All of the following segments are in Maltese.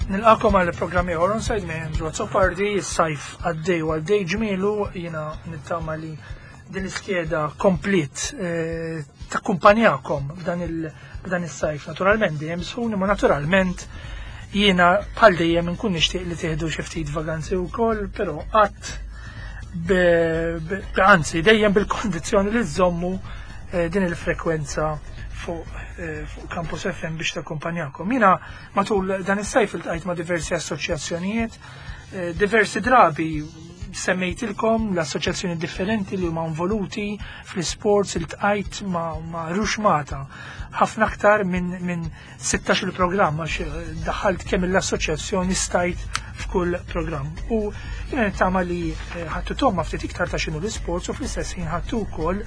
Nilqakom għal programm ieħor onside me Andrew Azzopardi, is-sajf għaddej u għaddej ġmielu, jiena nittama li din l-iskeda komplet eh, takkumpanjakom f'dan is-sajf. Naturalment dejjem sħun, imma naturalment jiena bħal dejjem nkun nixtieq li tieħdu xi ftit vaganzi wkoll, però qatt anzi dejjem bil-kondizzjoni li żommu eh, din il-frekwenza fuq eh, Campus FM biex takkumpanjakom. Jiena Matul dan is-sajf iltqajt ma' diversi assoċjazzjonijiet, eh, diversi drabi semmejtilkom l-assoċjazzjoni differenti li huma involuti fl-isports iltqajt ma', ma ruxmata ħafna aktar minn min 16 il-programm għax eh, daħalt kemm l-assoċjazzjoni stajt f'kull programm. U jiena nittama li eh, ħattu tomma ftit iktar ta' xinu l-isports u fl-istess ħin ħattu wkoll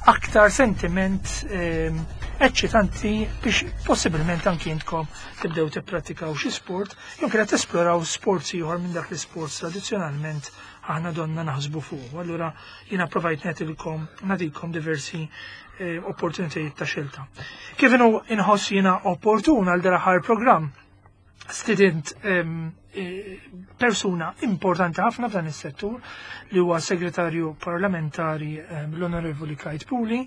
aktar sentiment ehm, eċċitanti biex possibilment anki intkom tibdew tippratikaw xi sport jew kienet tesploraw sports ieħor minn dak l-isports tradizzjonalment aħna donna naħsbu fuq. Allura jiena provajt nagħtilkom nagħtikom diversi eh, opportunitajiet ta' xelta. Kif inhu inħoss jiena opportun għal dal-aħħar programm stidint eh, persuna importanti ħafna f'dan is-settur li huwa segretarju parlamentari l-Onorevoli Kajt Puli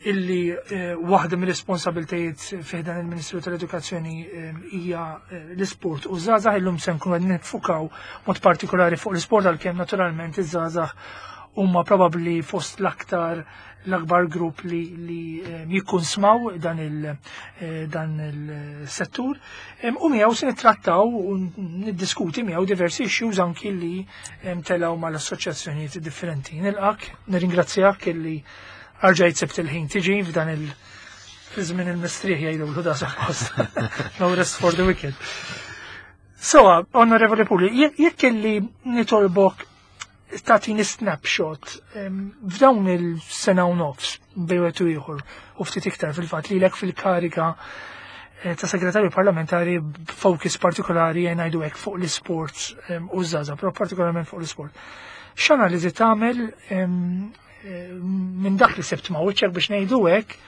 illi eh, waħda mir-responsabiltajiet fih dan il-Ministru tal-Edukazzjoni hija eh, l-isport u żgħażagħ illum se nkunu qed nifukaw mod partikolari fuq l-isport għalkemm naturalment iż-żgħażagħ huma probabbli fost l-aktar l-akbar grupp li, li eh, jikkunsmaw dan eh, il-settur. U miegħu se nittrattaw u niddiskuti miegħu diversi issues anki li telaw mal-assoċjazzjonijiet differenti. Nilqak, nirringrazzjak illi arġajt sibt il-ħin tiġi f'dan il- fi żmien il-mistrieħ jgħidu da suppost. No rest for the wicked. So, Onorevoli Puli, jekk illi nitolbok tagħtini snapshot f'dawn il-sena u nofs bejn wieħed u ieħor u ftit iktar fil-fatt lilek fil-kariga eh, ta' segretarju parlamentari b'focus partikolari jgħin ngħidu hekk fuq l-isports u żgħażagħ, però partikolarment fuq l-isport. X'analiżi tagħmel eh, minn dak li sebt ma' wiċċek biex ngħidu hekk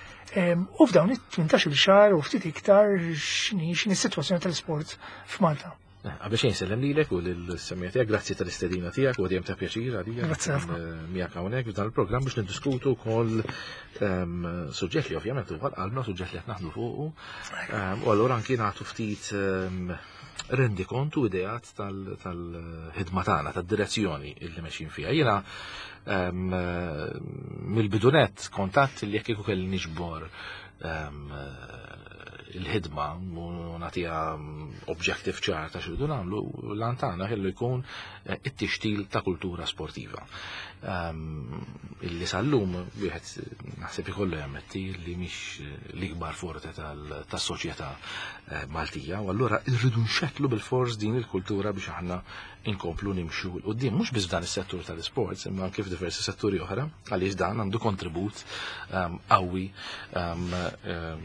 u f'dawn it-18 xahar u ftit iktar x'inhi s-sitwazzjoni tal-isport f'Malta? Qabel xejn sellem lilek u lill-semmija tiegħek, grazzi tal-istedina tiegħek u dejjem ta' pjaċir għalija. Grazzi ħafna. Eh, miegħek hawnhekk f'dan il-programm biex niddiskutu wkoll ehm, suġġett li ovvjament huwa qalbna suġġett li qed naħdmu fuqu. Ehm, u allura anki nagħtu ftit ehm, rendi kontu ideat tal-ħidma tagħna, tad-direzzjoni illi mexjin fiha. Jiena mill-bidunet kontatt li jekk kieku kelli niġbor il-ħidma u nagħtiha objective ċar ta' xirridu nagħmlu, l-għan tagħna kellu jkun eh, it-tixtil ta' kultura sportiva. Ehm, illi sal-lum wieħed naħseb ikollu jammetti li mhix l-ikbar forte tas-soċjetà eh, Maltija, u allura rridu nxettlu bil-fors din il-kultura biex aħna inkomplu nimxu 'l quddiem mhux biss f'dan is-settur tal-isports imma anke f'diversi setturi oħra għaliex dan għandu kontribut ehm, qawwi ehm, ehm,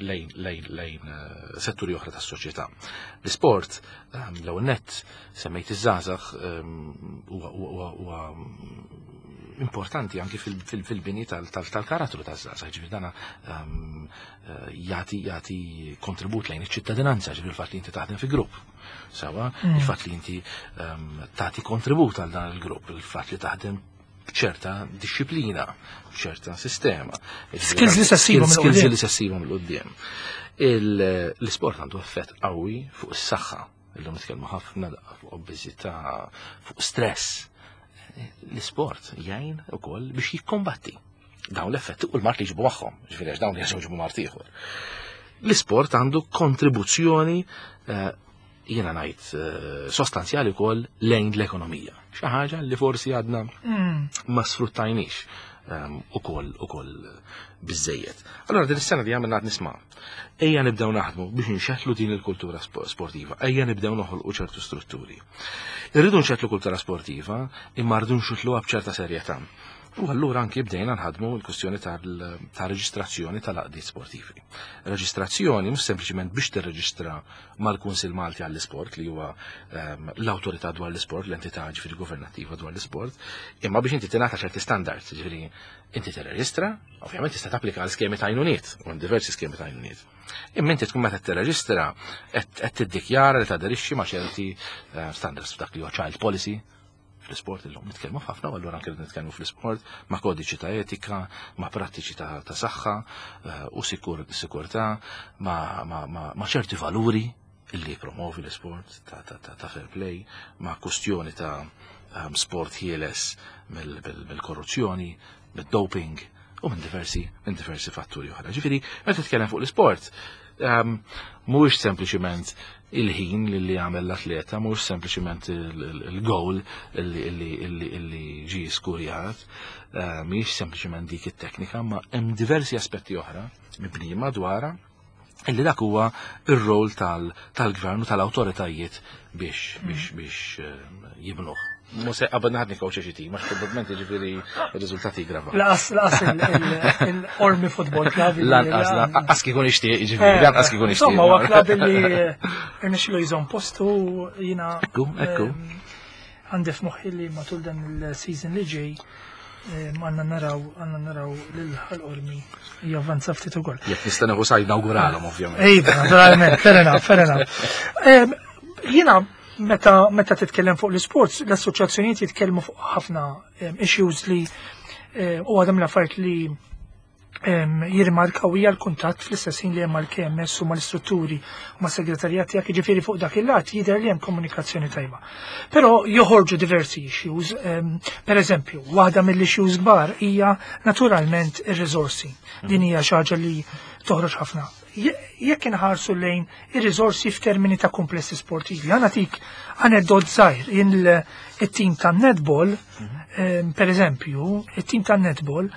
lejn lejn eh, setturi oħra tas-soċjetà. L-isport l-ewwel nett semmejt iż-żgħażagħ huwa importanti anki fil-bini tal-karattru taż-żgħażagħ, ġifieri dana eh, jagħti jagħti kontribut lejn iċ-ċittadinanza, ġifieri il-fatt li inti taħdem fi grupp. Sewa, mm. il-fatt li inti ehm, tagħti kontribut għal dan il-grupp, il-fatt li taħdem b'ċerta disċiplina, b'ċerta sistema. Skills li sessibhom Skills li sessibhom l-qudiem. L-isport għandu effett qawwi fuq is-saħħa. Illum nitkellmu ħafna fuq obeżità, fuq stress. L-isport jgħin ukoll biex jikkombatti dawn l-effetti u l-mart li jġibu magħhom, ġifieri għax dawn jġibu mart ieħor. L-isport għandu kontribuzzjoni eh, jiena ngħid eh, sostanzjali wkoll lejn l-ekonomija. Xi ħaġa li forsi għadna mm. ma sfruttajniex ehm, ukoll ukoll biżejjed. Allora din is-sena li għamilna nisma' ejja nibdew naħdmu biex nxettlu din il-kultura sportiva, ejja nibdew noħolqu ċertu strutturi. Irridu nxettlu kultura sportiva, imma rridu nxettluha b'ċerta serjetà. U allura anki bdejna nħadmu l-kwestjoni ta' reġistrazzjoni tal-għaqdiet sportivi. Reġistrazzjoni mhux sempliċement biex tirreġistra mal-Kunsill Malti għall-Isport li huwa l-awtorità dwar l-isport, l-entità ġifieri governattiva dwar l-isport, imma biex inti tingħata ċerti standards, ġifieri inti tirreġistra, ovvjament tista' tapplika għal skemi ta' għajnuniet, u diversi skemi ta' għajnuniet. Imma inti tkun meta tirreġistra qed tiddikjara li taderixxi ma' ċerti standards f'dak li huwa child policy, fl-isport illum nitkellmu ħafna u allura anke nitkellmu fl-isport ma' kodiċi ta' etika, ma' prattiċi ta' saħħa u sikurtà, ma' ċerti valuri illi promovi l-isport ta' fair play, ma' kustjoni ta' sport ħieles mill-korruzzjoni, mid-doping u minn diversi minn diversi fatturi oħra. Ġifieri, meta titkellem fuq l-isport, mhuwiex sempliċiment il-ħin li għamel l-atleta, mhuwiex sempliċiment il-goal li ġi skurjat, mhijiex sempliċiment dik it-teknika, ma hemm diversi aspetti oħra mibnijin madwarha illi dak huwa ir-rol tal-gvern u tal-awtoritajiet biex jibnuh. Mhux se qabel naħdni kawċa xi tim, għax probabbilment jiġifieri r-riżultati jgravaw. Laqas laqas il-Ormi Football Club. Lanqas lanqas kieku nixtieq, jiġifieri eh, lanqas kieku nixtieq. Insomma, huwa klabb li rnexxilu jżomm postu jiena. Ekku, ekku. Għandi f'moħħi li matul dan il-season li ġej għandna naraw għandna naraw lil Ħal Qormi javvanza ftit ukoll. Jekk nista' nieħu sajd nawguralhom ovvjament. Iva, naturalment, fair enough, fair enough. Jiena meta meta titkellem fuq l-isports, l-assoċjazzjonijiet jitkellmu fuq ħafna issues li u għadhom l-affarijiet li jirrimarkaw hija l-kuntatt fl-istess ħin li hemm mal-KMS u mal-istrutturi u mas-segretarjat tiegħek, jiġifieri fuq dak il-lat jidher li hemm komunikazzjoni tajba. Però joħorġu diversi issues, per eżempju, waħda mill-issues kbar hija naturalment ir-riżorsi. Din hija xi ħaġa li toħroġ ħafna. Jekk inħarsu lejn ir-riżorsi f'termini ta' komplessi sportivi, ħa nagħtik aneddot żgħir, it-tim tan-netball, per eżempju, it-tim tan-netball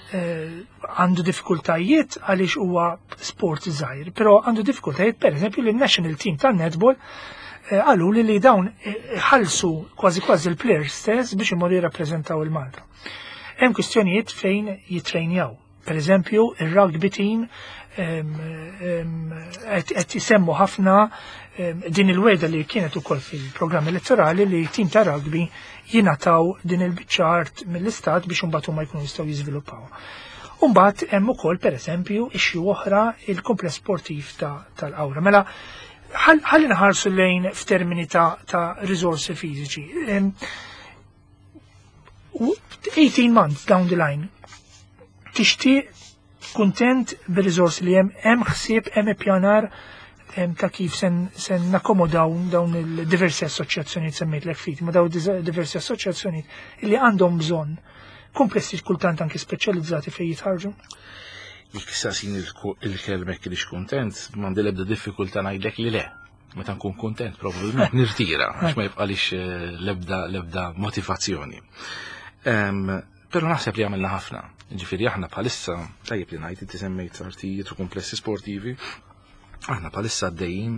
għandu diffikultajiet għaliex huwa sport żgħir, però għandu diffikultajiet per eżempju li national team tan-netball qalu li dawn ħallsu kważi kważi l-players stess biex imorru jirrappreżentaw il-Malta. Hemm kwistjonijiet fejn jitrejnjaw. Per eżempju, ir-rugby team qed jisemmu ħafna din il-weda li kienet ukoll fil-programm elettorali li tim ta' rugby jingħataw din il-biċċa art mill-istat biex imbagħad huma jkunu jistgħu jiżviluppaw. Imbagħad hemm ukoll pereżempju issue oħra il-kumpless sportiv tal-Qawra. Mela ħalli nħarsu lejn f'termini ta' riżorsi fiżiċi. 18 months down the line, tixtieq kuntent bir-riżorsi li hemm, hemm ħsieb, hemm ippjanar ta' kif sen nakkomodaw dawn il-diversi assoċjazzjonijiet semmejtlek ftit, ma dawn diversi assoċjazzjonijiet li għandhom bżonn komplessi kultant anki speċjalizzati fejn jitħarġu? Jekk saqsin il-kelmek li kuntent, m'għandi l-ebda diffikultà ngħidlek li le. Meta nkun kuntent probabbilment nirtira għax ma jibqalix l-ebda motivazzjoni. Però naħseb li għamilna ħafna. Ġifieri aħna bħalissa, tajjeb li ngħid inti semmejt artijiet u komplessi sportivi, aħna bħalissa għaddejjin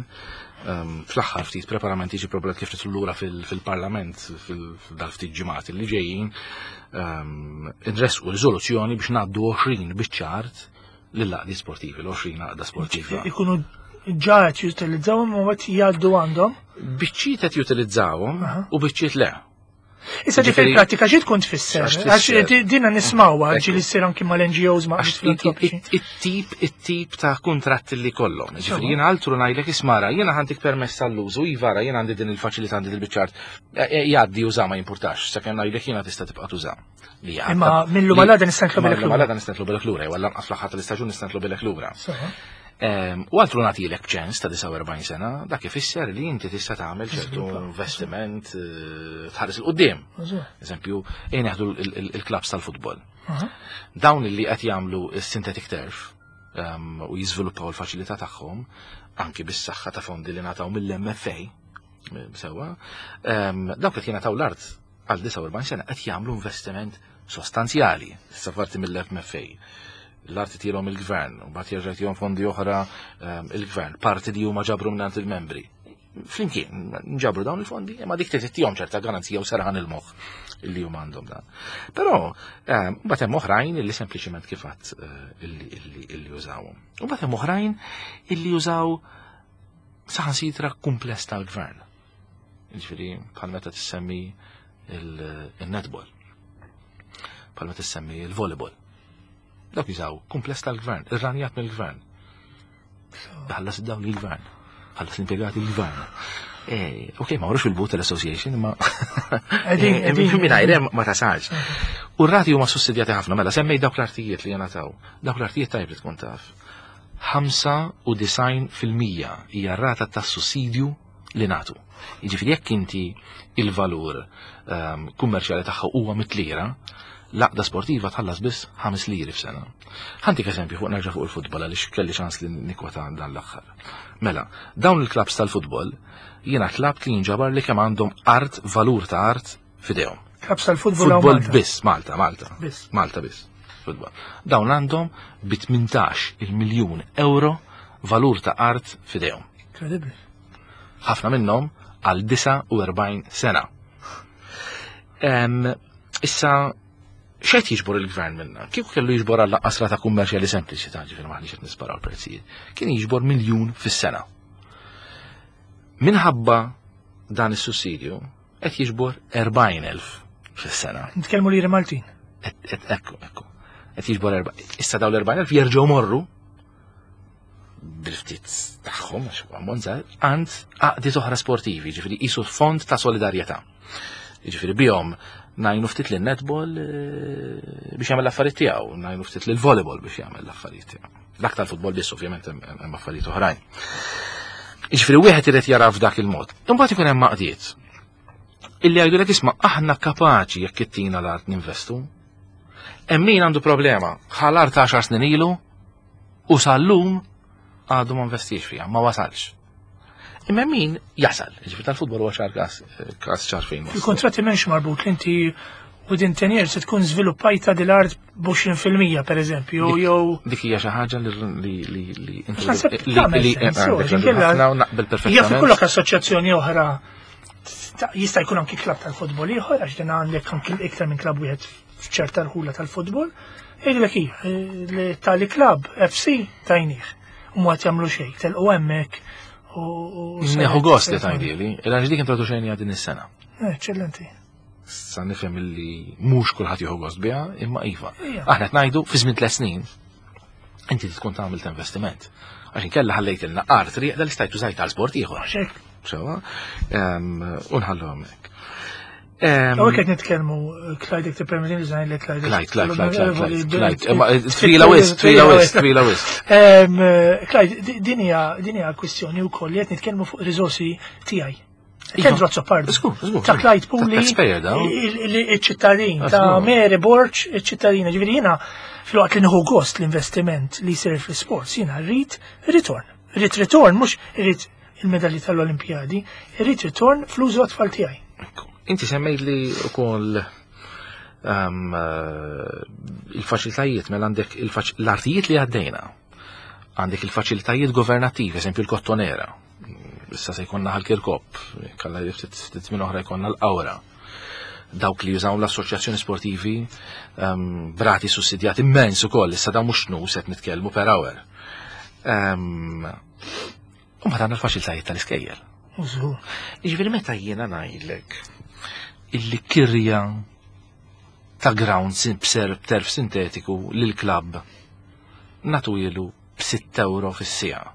fl-aħħar ftit preparamenti ġi probabli kif nidħlu lura fil-parlament fil-dal ftit ġimgħat li ġejjin inresqu riżoluzzjoni biex ngħaddu 20 biċċa art lill-għaqdi sportivi, l-20 għaqda sportiva. Ikunu ġa qed jutilizzawhom u qed jgħaddu għandhom? Biċċiet qed jutilizzawhom u biċċiet le. Issa ġi fil-prattika xi tkun tfisser? Għax dina nismawha ġi li ssir anki mal-NGOs ma' It-tip it-tip ta' kontratti li kollhom. Ġifieri jiena altru ngħidlek ismara, jiena ħantik permess għall-użu, ivara jiena għandi din il-faċilità għandi il-biċċa art. Jgħaddi uża ma jimpurtax, sakemm ngħidlek jiena tista' tibqa' tuża. Imma millu malada nista' nitlobilek lura. Malada nista' nitlobilek lura, jew lanqas fl-aħħar tal-istaġun nista' nitlobilek lura. U altru nagħtilek ċens ta' 49 sena, dak ifisser li inti tista' tagħmel ċertu investiment tħares 'il quddiem. Eżempju, ejn neħdu il-klabs tal-futbol. Dawn li qed jagħmlu s-synthetic turf u jiżviluppaw il-faċilità tagħhom anki bis-saħħa ta' fondi li ngħataw mill-MFA, sewwa, dawk qed jingħataw l-art għal 49 sena qed jagħmlu investiment sostanzjali, issa parti mill-MFA. L-arti tilhom il-gvern, u mbagħad jerġa' jtihom fondi oħra il-gvern, parti li huma ġabru mingħand il-membri. Flimkien, nġabru dawn il-fondi, imma dik titihom ċerta garanzija u serħan il-moħħ illi huma għandhom dan. Però mbagħad hemm oħrajn illi sempliċement kif għadt illi jużawhom. U mbagħad hemm oħrajn illi jużaw saħansitra kumpless tal-gvern. Ġifieri bħal meta tissemmi il-netball. Bħal meta tissemmi il-volleyball. Dawk jużaw kumpless tal-gvern, irranjat mill-gvern. Ħallas id-dawl il-gvern, ħallas l-impjegati il-gvern. Ok, ma warux il-but tal-association, ma mingħajr hemm ma tasalx. U r-rati huma sussidjati ħafna, mela semmej dawk l-artijiet li jingħataw. Dawk l-artijiet tajb li tkun taf. 95% hija r-rata tas sussidju li nagħtu. Jiġifieri jekk inti il-valur kummerċjali tagħha huwa mit-lira, l-għaqda sportiva tħallas biss 5 liri f'sena. Ħa ntik eżempju fuq nerġa' fuq il-futbol għaliex kelli ċans li nikwota dan l-aħħar. Mela, dawn il-klabs tal-futbol jiena tlabt li jinġabar li kemm għandhom art, valur ta' art f'idejhom. Klabs tal-futbol Futbol Malta. biss, Malta, Malta. Biss. Malta biss. Futbol. Dawn għandhom bi 18 il-miljun euro valur ta' art f'idejhom. Incredible. Ħafna minnhom għal 49 sena. Issa, x'qed jiġbor il-gvern minna? Kieku kellu jiġbor għal qasra ta' kummerċjali sempliċi ta' ġifieri maħniex qed nisparaw il-prezzijiet. Kien jiġbor miljun fis-sena. Minħabba dan is-sussidju qed jiġbor 40,000 fis-sena. Nitkellmu liri Maltin. Ekku, ekku. Qed jiġbor erba' Issa dawn l-40,000 jerġgħu morru bil-ftit tagħhom għax huwa ammont żgħir, għand għaqdiet oħra sportivi, ġifieri qisu fond ta' solidarjetà. Ġifieri bihom ngħinu ftit lin netball biex jagħmel l-affarijiet tiegħu, ngħinu ftit lil volleyball biex jagħmel l-affarijiet tiegħu. Dak tal-futbol biss ovvjament hemm affarijiet oħrajn. Ġifieri wieħed irid jara f'dak il-mod. Imbagħad ikun hemm għaqdiet illi jgħidulek isma' aħna kapaċi jekk ittina l-art ninvestu. Hemm min għandu problema, ħa l-art 10 snin ilu u sal-lum għadu ma investiex fiha, ma wasalx. Imma min jasal, ġifieri tal-futbol huwa ċar każ ċar fejn. wasal. Il-kontratti m'hemmx marbut li inti within 10 years se tkun żviluppajta dil-art b'20% per eżempju, jew Dik hija xi ħaġa li li li li Naħseb li tagħmel li sens, għandek u, inkella- ħafna u naqbel Jaf perfettament. ikollok assoċjazzjoni oħra jista' jkun anki klab tal-futbol ieħor għax din għandek anki iktar minn klab wieħed f'ċerta rħula tal-futbol. Jgħidlek hi, li tali klab FC tajnieh. U ma jagħmlu xejn, telqu hemmhekk u Nieħu gost li tgħidili, għax dik introduċejni din is-sena. Eċċellenti. Sa nifhem illi mhux kulħadd jieħu gost biha, imma iva. Ija. Aħna qed ngħidu fi żmien tliet snin inti tkun tagħmel investiment. Għax inkella ħallejtilna art rieqda li stajt użajt għal sport ieħor. Għax hekk. Sewa, u nħallu hemmhekk. Hawnhekk qed nitkellmu Clyde jekk tippermetti li ngħidlek Clyde. Clyde, Clyde, Clyde, Clyde, Clyde, Clyde. Imma twila wisq, twila wisq, twila wisq. Clyde, din hija kwistjoni wkoll li qed nitkellmu fuq riżorsi tiegħi. Iva. Kendru Azzopardi. Żgur, żgur, Ta' żgur. Clyde Puli, Ta' taxpayer dawn. il-ċittadin, Ah, ta' żgur. Mary Borg, il-ċittadina. Ġifieri jiena filwaqt li nieħu gost l-investiment li jsir fl-sports, jiena rrid return. Rrid return, mhux irrid il-medalji tal-Olimpjadi, irrid return fl-użu għat-tfal tiegħi. Ekku. Inti semmejt li wkoll il-faċilitajiet, mela għandek l-artijiet li għaddejna, għandek il-faċilitajiet governattivi, eżempju l-Kottonera, issa se jkollna ħal-Kirkop, kalla ftit minn oħra jkollna l-Qawra. Dawk li jużaw l-assoċjazzjoni sportivi b'rati sussidjati immens ukoll, issa dawn mhux nus qed nitkellmu per hour. U ma dan il-faċilitajiet tal-iskejjel. Użu. Jiġifieri meta jiena ngħidlek illi kirja ta' ground b'ser b'terf sintetiku lil klabb nagħtuhielu b'6 euro fis-siegħa.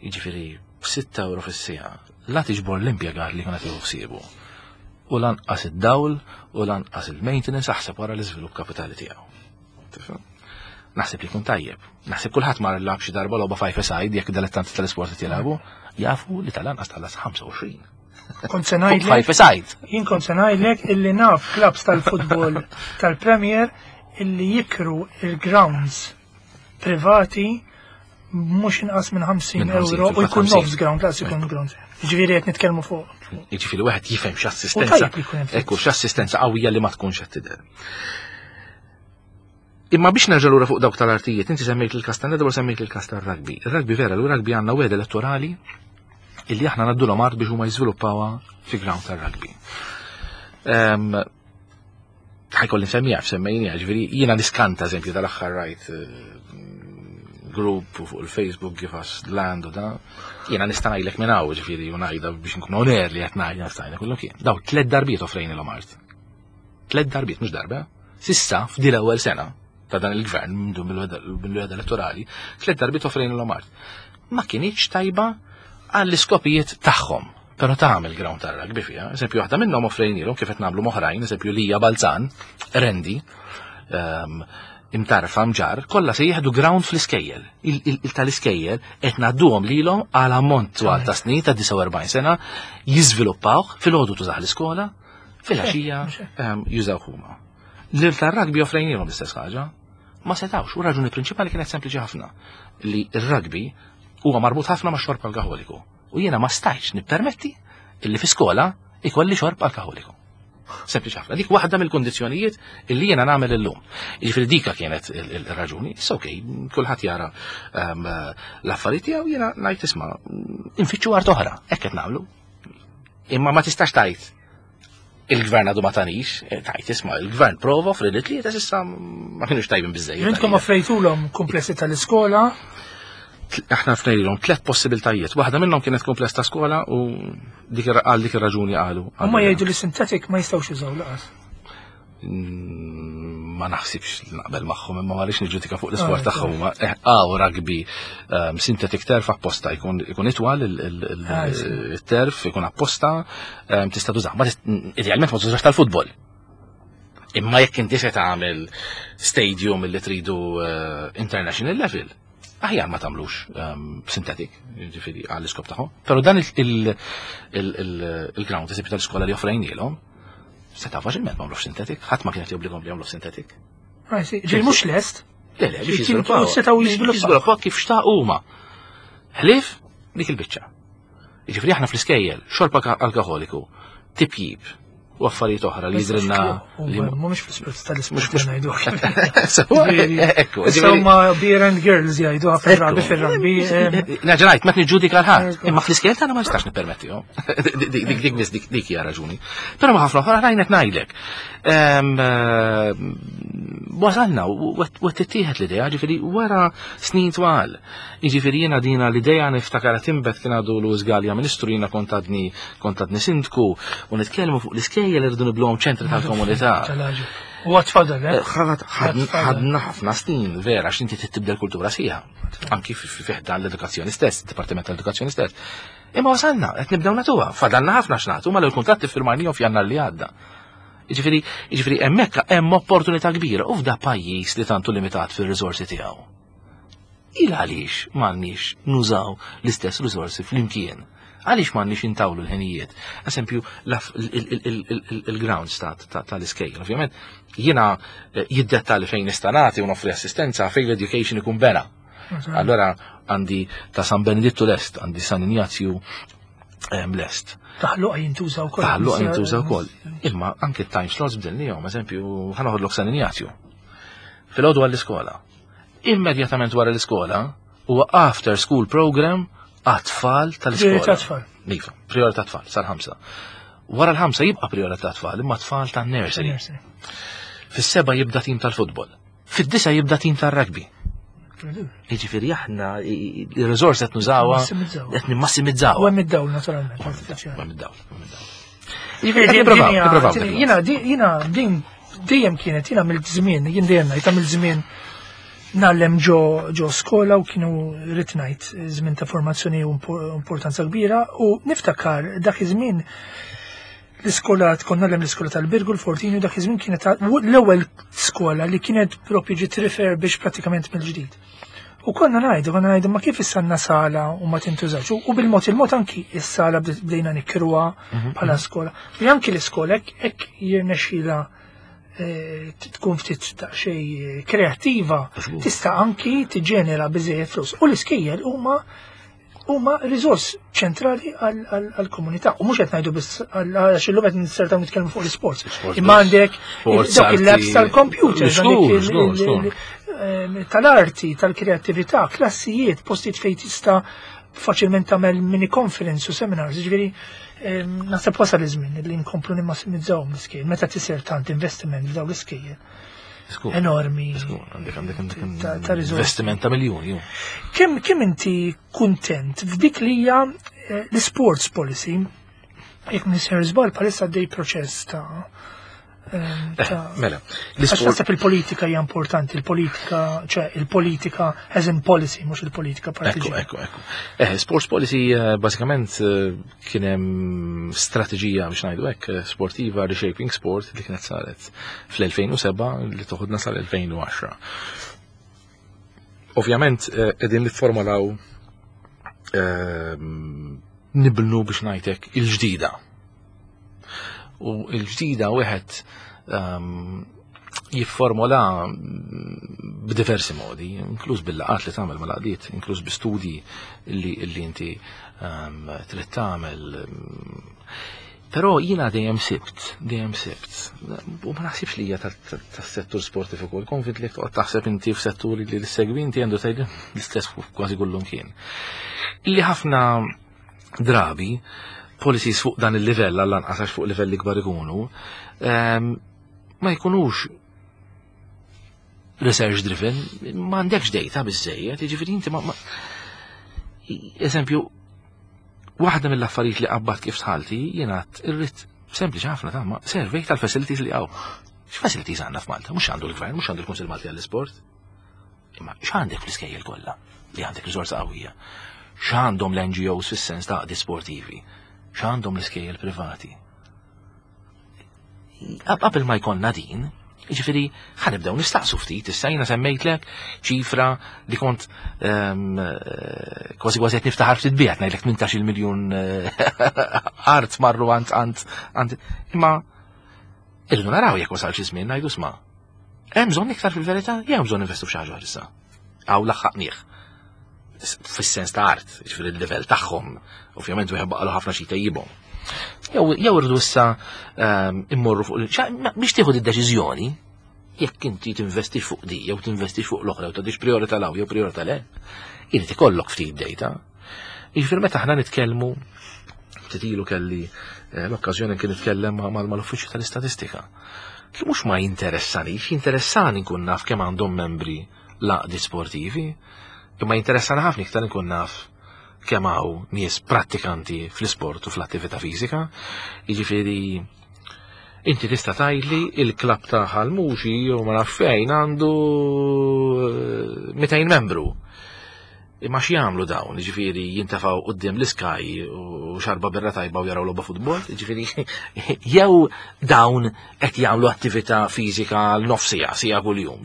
Jiġifieri b'6 euro fis-siegħa la tiġbor l-impjegat li kienet jieħu ħsiebu. U lanqas id-dawl u lanqas il-maintenance aħseb wara l-iżvilupp kapitali tiegħu. Tifhem? Naħseb li jkun tajjeb. Naħseb kulħadd mar lagħab xi darba logħba five side jekk dilettanti tal-isport qed jilagħbu, jafu li tal-anqas tħallas 25. Kont se Fuq ngħidlek five side. Jien kont se ngħidlek illi naf clubs tal-futbol tal-Premier illi jikru il-grounds privati mhux inqas minn 50 Minn 50, euro u fil-fatt jkun 50. nofs ground, laqas ikun ground. Ġifieri qed nitkellmu fuq. Jiġifieri wieħed jifhem U x'assistenza. tajjeb li jkun hemm Ekku, x'assistenza qawwija li ma tkunx qed tidher. Imma biex nerġa' lura fuq dawk tal-artijiet, inti semmejt il-kas tan-netball, semmejt il-kas tar-rugby. Ir-rugby vera, l-rugby għandna wegħda elettorali illi aħna ngħaddulhom art biex huma jiżviluppawha fi ground tar-rugby. Ħa jkolli nsemmija f'semmejnija, ġifieri jiena niskanta eżempju tal-aħħar rajt group fuq il-Facebook give us land u da. Jiena nista' ngħidlek minn hawn, ġifieri u ngħidha biex nkun on air li qed ngħid nista' kullu kien. Daw tliet darbiet offrejnilhom art. Tliet darbiet, mhux darba. Sissa f'dil ewwel sena ta' dan il-gvern mill-weda elettorali, tliet darbiet offrejnilhom art. Ma kinitx tajba għall-iskopijiet tagħhom. Però tagħmel ground tar-rugby fiha. Eżempju, waħda minnhom offrejnilhom kif qed nagħmlu m'oħrajn, eżempju Lija Balzan, Rendi, imtarfa mġar, kollha se jieħdu ground fl-iskejjel. Il tal-iskejjel qed ngħadduhom lilhom għal ammont twal ta' snin ta' 49 sena jiżviluppawh filgħodu tużah l-iskola, filgħaxija jużaw huma. Lil tar-rugby offrejnilhom l-istess ħaġa. Ma setawx, u raġuni prinċipali kienet sempliċi ħafna li r-rugby huwa marbut ħafna ma' xorb alkoholiku. U jiena ma stajtx nippermetti illi fi skola ikolli xorb alkoholiku. Sempliċi ħafna. Dik waħda mill-kundizzjonijiet illi jiena nagħmel illum. Jiġifieri dika kienet il-raġuni. Issa okej, kulħadd jara l-affarijiet tiegħu jiena ngħid isma' infittxu art oħra, hekk qed nagħmlu. Imma ma tistax tgħid il-gvern għadu ma tanix, tajt isma' il-gvern prova offri li tlieta s'issa ma kienux tajbin biżejjed. Intkom offrejtulhom komplessi tal-iskola? Aħna offrejlhom tliet possibiltajiet. Waħda minnhom kienet kompless ta' skola u għal dik ir-raġuni qalu. Huma jgħidu li synthetic ma jistgħux jużaw laqas. Ma naħsibx naqbel magħhom imma ma rridx niġġudika fuq l-isport tagħhom huma għaw rugby synthetic turf apposta jkun itwal il-turf ikun apposta tista' tużah. Ma idealment ma tużax tal-futbol. Imma jekk inti se tagħmel stadium li tridu international level, aħjar ma tagħmlux synthetic, ġifieri għall-iskop tagħhom. Però dan il-ground eżempju tal-iskola li offrejnielhom, seta' faċilment ma għamlux synthetic, ħadd ma kienet jobbligahom li jagħmlu synthetic. Ġej mhux lest? Le, le, biex jiżviluppaw. Setgħu jiżviluppaw. Jiżviluppaw kif xtaq huma. Ħlief dik il-biċċa. Jiġifieri aħna fl-iskejjel, xorb alkoholiku, tipjib, u affarijiet oħra li jidrinna li mhumiex fl-isport tal-isport ngħidu. Ekku, Insomma beer and girls jgħidu ħafna drabi fir-rugby. Naġrajt, ma niġġudika l-ħadd, imma fl-iskejjel tagħna ma nistax nippermettihom. Dik dik biss dik hija raġuni. Però ma ħafna oħra rajnet ngħidlek. Wasalna u tittieħed l-idea, ġifieri wara snin twal. Jiġifieri jiena dina l-idea niftakar timbet kien għadu Louis Galea ministru jiena kont għadni sindku u nitkellmu fuq l-iskejjel irridu nibluhom ċentri tal-komunità. U għatfadal, eh? Ħadna ħafna snin, vera, għax inti tibdel kultura sħiħa. Anki fi ħdan l-edukazzjoni stess, Dipartiment tal-Edukazzjoni stess. Imma wasalna, qed nibdew nagħtuha, fadalna ħafna x'nagħtu, ma l-kuntratti firmajnihom f'Jannar li għadda. Jiġifieri hemmhekk hemm opportunità kbira u f'da pajjiż li tantu limitat fir-riżorsi tiegħu. Il għaliex m'għandniex nużaw l-istess riżorsi flimkien? Għaliex m'għandniex intawlu l-ħinijiet? Eżempju, il-grounds tal-iskejjel. Ovvjament, jiena jiddettali fejn nista' nagħti u noffri assistenza fejn l-education ikun bena. Allora għandi ta' San Benedittu lest, għandi San Ignazju lest. Taħluqa jintuża wkoll. Taħluqa jintuża wkoll. Imma anke time slots bdilnihom, eżempju, ħa noħodlok San Ignazju. Filgħodu għall-iskola. Immedjatament wara l-iskola huwa after school program għat-tfal tal-iskola. Priorità tfal. Iva, priorità tfal, sal-5. Wara l-5 jibqa' priorità tfal, imma tfal tan-nursery. Fis-7 jibda tim tal-futbol. Fid-9 jibda tim tal-rugby. Jiġifieri aħna il-riżors qed nużawha qed nimmassimizzaw. U hemm id-dawl naturalment. Hemm id-dawl, hemm id-dawl. Jiġifieri jiena din dejjem kienet jiena mill-żmien, jien dejjem ngħid mill-żmien nallem ġo skola u kienu rrid ngħid żmien ta' formazzjoni u importanza kbira u niftakar dak iż-żmien l-iskola tkun nallem l-iskola tal-Birgu l-Fortini dak iż-żmien kienet l-ewwel skola li kienet propju ġiet refurbished pratikament mill-ġdid. U konna ngħidu ma kif issa sala u ma tintużax. U bil-mod il-mod anki is-sala bdejna nikruha bħala skola. Li anki l-iskola hekk jirnexxila tkun ftit ta' xej kreattiva, tista' anki tiġġenera biżejjed flus. U l-iskejjel huma riżors ċentrali għall-komunità. U mhux qed ngħidu biss għax illum qed nissertaw nitkellmu fuq l-isports. Imma għandek dawk il-labs tal-computer, tal-arti, tal-kreattività, klassijiet, postijiet fejn tista' faċilment tagħmel mini conference u seminars, ġifieri naħseb wasal iż-żmien li nkomplu nimmassimizzaw l-iskejjel meta tisir tant investiment f'dawn l-iskejjel. Enormi. Għandek ta' investiment ta' miljuni. Kemm inti kuntent f'dik li hija eh, l-sports policy jekk nisir żball bħalissa dej proċess ta' Eh, mela, l-isport. Naħseb il-politika hija importanti, il-politika, ċe il-politika as in policy, mhux il-politika partiġjana. Ekku, ekku, ekku. Eh, sports policy eh, bażikament kien hemm strateġija biex ngħidu hekk sportiva reshaping sport li kienet saret fl-2007 li toħodna sal-2010. Ovvjament qegħdin nifformulaw nibnu biex ngħidlek il-ġdida U l-ġdida wieħed ehm, jifformola b'diversi modi, inkluż bil-laqat li tagħmel mal-għaqdiet, inkluż bi studji li, li inti um, trid tagħmel. Però jiena dejjem sibt, dejjem sibt, u ma naħsibx li hija tas-settur sportiv ukoll, konvint li toqgħod taħseb inti f'setturi li l-segwi inti għandu tgħid l-istess kważi kullum kien. Li ħafna drabi policies fuq dan il-livell għall-anqas għax fuq livelli kbar ikunu, ehm, ma jkunux research driven, ma għandekx data biżejjed, jiġifieri inti ma eżempju, waħda mill-affarijiet li qabbat kif tħalti jiena irrid sempliċi ħafna ta' ma survey tal-facilities li hawn. X'facilities għandna f'Malta? Mhux għandu l-gvern, mhux għandu l-Kunsill Malti għall-Isport. Imma x'għandek fl-iskejjel kollha li għandek riżorsa qawwija? X'għandhom l-NGOs fis-sens ta' għaqdi sportivi? X'għandhom l-iskejjel privati? Qabel ma jkollna din, Ġifiri, ħanibdew nistaqsu ftit, issa jina semmejtlek ċifra li kont ehm, eh, kważi kważi qed niftaħar ftit biha, ngħidlek 18 miljun eh, art marru għand għand għand imma irridu naraw jekk wasal xi żmien ngħidu sma'. Hemm bżonn iktar fil-verità, jew hemm bżonn investu f'xi ħaġa issa. Għaw laħħaqnieh. Fis-sens ta' art, jiġifieri il-livell tagħhom, ovvjament wieħed baqalu ħafna xi tejjibhom. Jew irridu issa ehm, immorru fuq biex tieħu id-deċiżjoni, jekk inti tinvesti fuq di, jew tinvesti fuq l-oħra, jew tagħtix priorità law, jew priorità le, irid ikollok ftit data. Jiġifieri meta aħna nitkellmu ftit ilu kelli eh, l-okkażjoni kien nitkellem mal-uffiċċju tal-istatistika. Li mhux ma jinteressanix, jinteressani nkun naf kemm għandhom membri l-għaqdiet sportivi, imma jinteressani ħafna iktar nkun naf kemm hawn nies prattikanti fl-isport u fl-attività fiżika. Jiġifieri inti tista' tgħidli il-klabb ta' Ħalmuxi jew ma naf fejn għandu 200 eh, membru. Imma x'jagħmlu dawn, jiġifieri jintefgħu quddiem l-Sky u xarba birra tajba u jaraw logħba futbol, jiġifieri jew dawn qed jagħmlu attività fiżika l-nofsija, sija kuljum.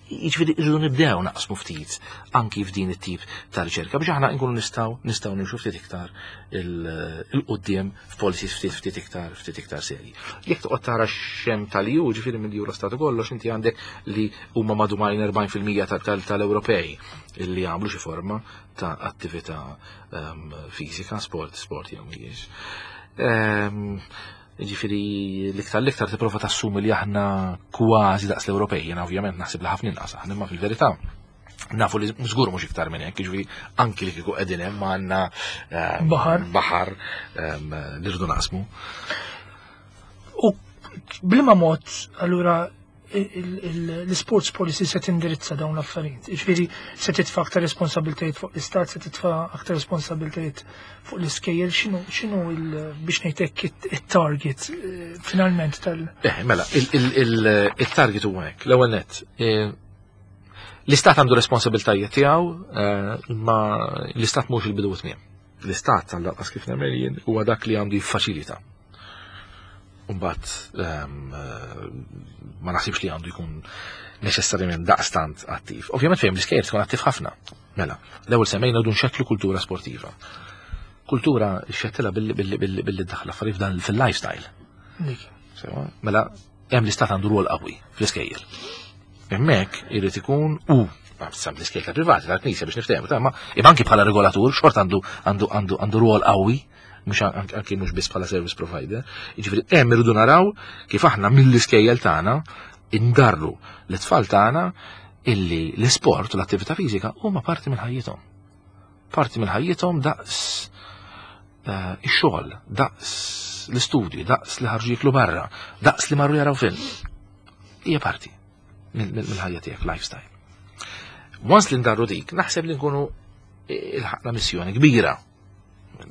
Jiġifieri irridu nibdew naqsmu ftit anki f'din it-tip ta' riċerka biex aħna nkunu nistgħu nistgħu nimxu ftit iktar il-qudiem f'policies ftit ftit iktar ftit iktar serji. Jekk toqgħod tara x'hemm tal-EU, ġifieri mill-Eurostat u kollox, inti għandek li huma madwar 40% tal-Ewropej illi jagħmlu xi forma ta' attività ehm, fiżika, sport, sport jew mhijiex. Ehm, ġifieri l-iktar l-iktar tipprova tassumi li aħna kważi daqs l-Ewropej, jiena ovvjament naħseb li ħafna inqas aħna, imma fil-verità nafu li żgur mhux iktar minn hekk, jiġifieri anki li kieku qegħdin hemm għandna ehm, baħar baħar li rridu naqsmu. U bliema mod allura l-sports policy se tindirizza dawn l-affarijiet. Ġifieri se titfa' aktar responsabiltajiet fuq l-istat, se titfa' aktar responsabiltajiet fuq l-iskejjel, x'inhu x'inhu biex ngħidlek it-target eh, finalment tal. Eh, mela, il-target huwa hekk. L-ewwel nett, eh, l-istat għandu responsabiltajiet tiegħu, eh, imma l-istat mhux il-bidu tmiem. L-istat għall-anqas kif nagħmel jien huwa dak li għandu jiffaċilita. Umbat, ehm, eh, ma naħsibx li għandu jkun neċessarjament daqstant attiv. Ovvjament fejn l-iskejjel tkun attiv ħafna. Mela, l-ewwel semmejna dun xettlu kultura sportiva. Kultura xettila billi billi billi billi daħla affarijiet f'dan fil-lifestyle. Mela, hemm l-istat għandu rwol qawwi fl-iskejjel. Hemmhekk irid ikun u sam l-iskejjel privati tal-Knisja biex niftehmu, ta' ma imma anki bħala regolatur xort għandu għandu għandu għandu rwol qawwi mhux anki mhux biss bħala service provider. Jiġifieri hemm irridu naraw kif aħna mill-iskejjel tagħna indarru l-tfal tagħna illi l-isport u l-attività fiżika huma parti minn ħajjithom. Parti minn ħajjithom daqs eh, ix-xogħol, daqs l-istudju, daqs li ħarġu jiklu barra, daqs li marru jaraw film. Hija parti mill-ħajja tiegħek, lifestyle. Once li ndarru dik, naħseb li nkunu il-ħakna missjoni kbira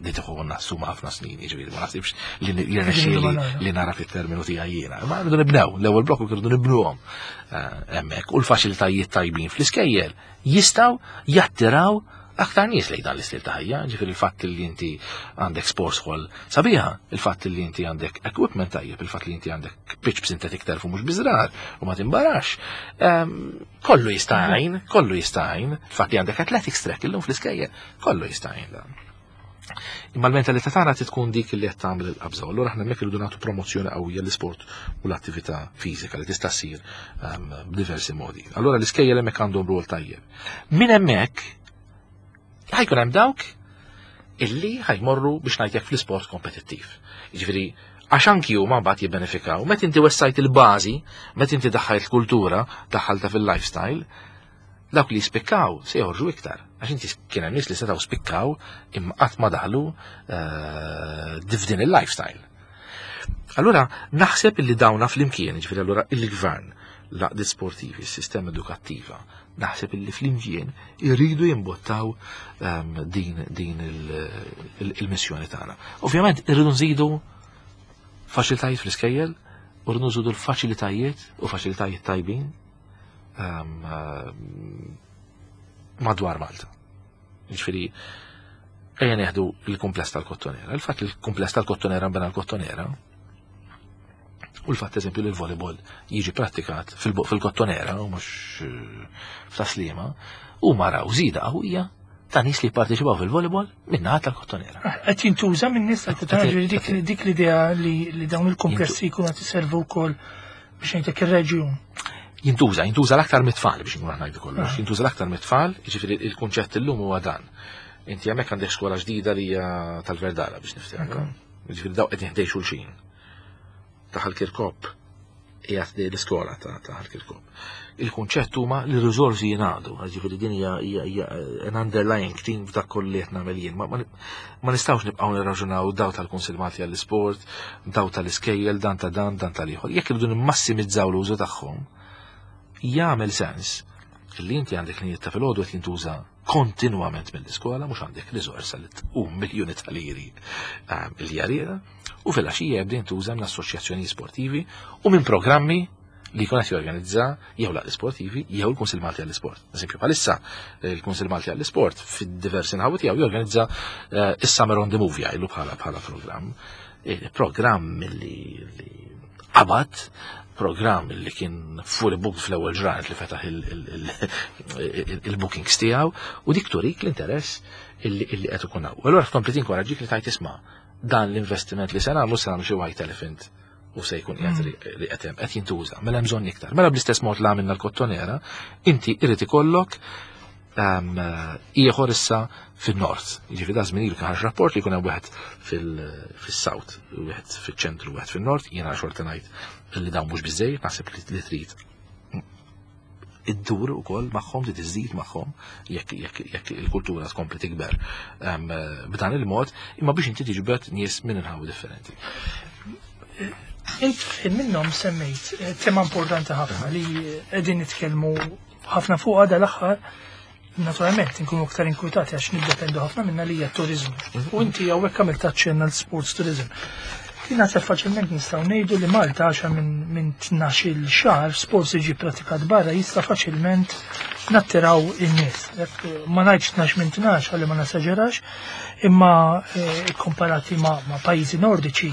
li tieħu nassuma ħafna snin, jiġifieri ma naħsibx li jirnexxieli li nara fit-terminu tiegħi jiena. Ma rridu nibnew, l-ewwel blokku rridu nibnuhom eh, hemmhekk u l-faċilitajiet tajbin fl-iskejjel jistgħu jattiraw aktar nies lejn dan l-istil ta' ħajja, ġifieri il-fatt li inti għandek sports hall sabiħa, il-fatt li inti għandek equipment tajjeb, il-fatt li inti għandek pitch b'synthetic turf u mhux biżrar u ma timbarax. Ehm, kollu jista' jgħin, kollu jista' jgħin, il-fatt li għandek athletics track illum fl-iskejjel, kollu jista' jgħin dan. Imma l-mentalità tagħna trid tkun dik li qed tagħmel il-qabża. Allura aħna hemmhekk irridu nagħtu promozzjoni qawwija l-isport u l-attività fiżika li tista' ssir ehm, b'diversi modi. Allura l-iskejjel hemmhekk għandhom rwol tajjeb. Min hemmhekk ħajkun hemm dawk illi ħajmorru biex ngħidlek fl-isport kompetittiv. Jiġifieri għax anki huma mbagħad jibbenefikaw. Meta inti wessajt il-bażi, meta inti daħħajt kultura, daħħalta fil-lifestyle, dawk li jispikkaw se joħorġu iktar. Għax inti kien hemm nies li setgħu spikkaw imma qatt ma daħlu eh, f'din il-lifestyle. Allura naħseb illi dawna flimkien, ġifieri allura il-gvern, l-għaqdiet sportivi, s-sistema edukattiva, naħseb illi flimkien irridu jimbottaw ehm, din, din il-missjoni tagħna. Ovvjament irridu nżidu faċilitajiet fl-iskejjel, u rridu nżidu l-faċilitajiet u faċilitajiet tajbin ehm, ehm, madwar Malta. Ġifieri ejja neħdu il-kumpless tal-Kottonera. Il-fatt li l-kumpless tal-Kottonera nbena l-Kottonera u l-fatt eżempju li l-volleyball jiġi prattikat fil-Kottonera u mhux eh, f'Taslima u maraw żida qawwija ta' nies li jipparteċipaw fil-volleyball minn naħa tal-Kottonera. Ah, qed jintuża minn nies tal-Kottonera dik l-idea li dawn il-komplessi jkunu qed iservu wkoll biex ngħidlek ir-reġjun. Jintuża, jintuża l-aktar mit-tfal biex nkun ngħidu kollox, ah. jintuża l-aktar mit-tfal, jiġifieri il-kunċett illum huwa dan. Inti hemmhekk għandek skola ġdida li hija tal-Verdala biex niftehmu. Jiġifieri daw qed ħdej xulxin. Taħal Kirkop qiegħed l-iskola ta' Ħal Kirkop. Il-kunċett huma li r-riżorsi jingħaqdu, ġifieri din hija an underlying theme f'dak kollu li qed nagħmel jien. Ma nistgħux nibqgħu nirraġunaw daw tal-Kunsill Malti għall-Isport, daw tal-iskejjel, dan ta' dan, dan tal-ieħor. Jekk irridu nimmassimizzaw l-użu tagħhom, jagħmel sens li inti għandek li ta' filgħodu qed jintuża kontinwament mill-iskola, mhux għandek riżorsa li tqum miljuni ta' liri ehm, li jarira, u fil-għaxija jibda jintuża minn assoċjazzjoni sportivi u minn programmi li jkun qed jorganizza jew l sportivi jew il-Kunsill Malti għall-Isport. Eżempju, bħalissa il-Kunsill Malti għall-Isport fid-diversi nħawi tiegħu jorganizza eh, is-Summer on the Move jgħidu bħala bħala programm. Eh, programm li qabad programm li kien fully booked fl-ewwel ġranet li fetaħ il-bookings tiegħu u dik turik l-interess illi qed ikun hawn. Allura tkompli tinkoraġġik li tajt isma' dan l-investiment li se nagħmlu se nagħmlu xi white elephant u se jkun qiegħed mm. li qed hemm qed jintuża, mela hemm bżonn iktar. Mela bl-istess mod li għamilna l-kottonera, inti irid ikollok ehm, ieħor issa fin-nord. Jiġifieri da żmien ilu kien rapport li jkun hemm wieħed fis-south, wieħed fiċ-ċentru, wieħed fin-nord, jiena xorta ngħid li dawn mhux biżejjed, naħseb li trid iddur ukoll magħhom li tiżdid magħhom jekk jekk jekk il-kultura tkompli tikber ehm, b'dan il-mod, imma biex inti tiġbed nies minn inħawi differenti. Int minnhom semmejt eh, tema importanti ħafna li qegħdin nitkellmu ħafna fuq għada l-aħħar naturalment nkunu aktar inkwitati għax niddependu ħafna minna li hija turizmu. Mhm. U inti hawnhekk għamilt aċċenna l-sports tourism. Li naħseb faċilment nistgħu ngħidu li Malta għaxa minn 12-il xahar sports iġi pratikat barra jista' faċilment nattiraw in-nies. Ma ngħidx 12 minn 12 ħalli ma nasaġerax, imma eh, komparati ma' pajjiżi nordiċi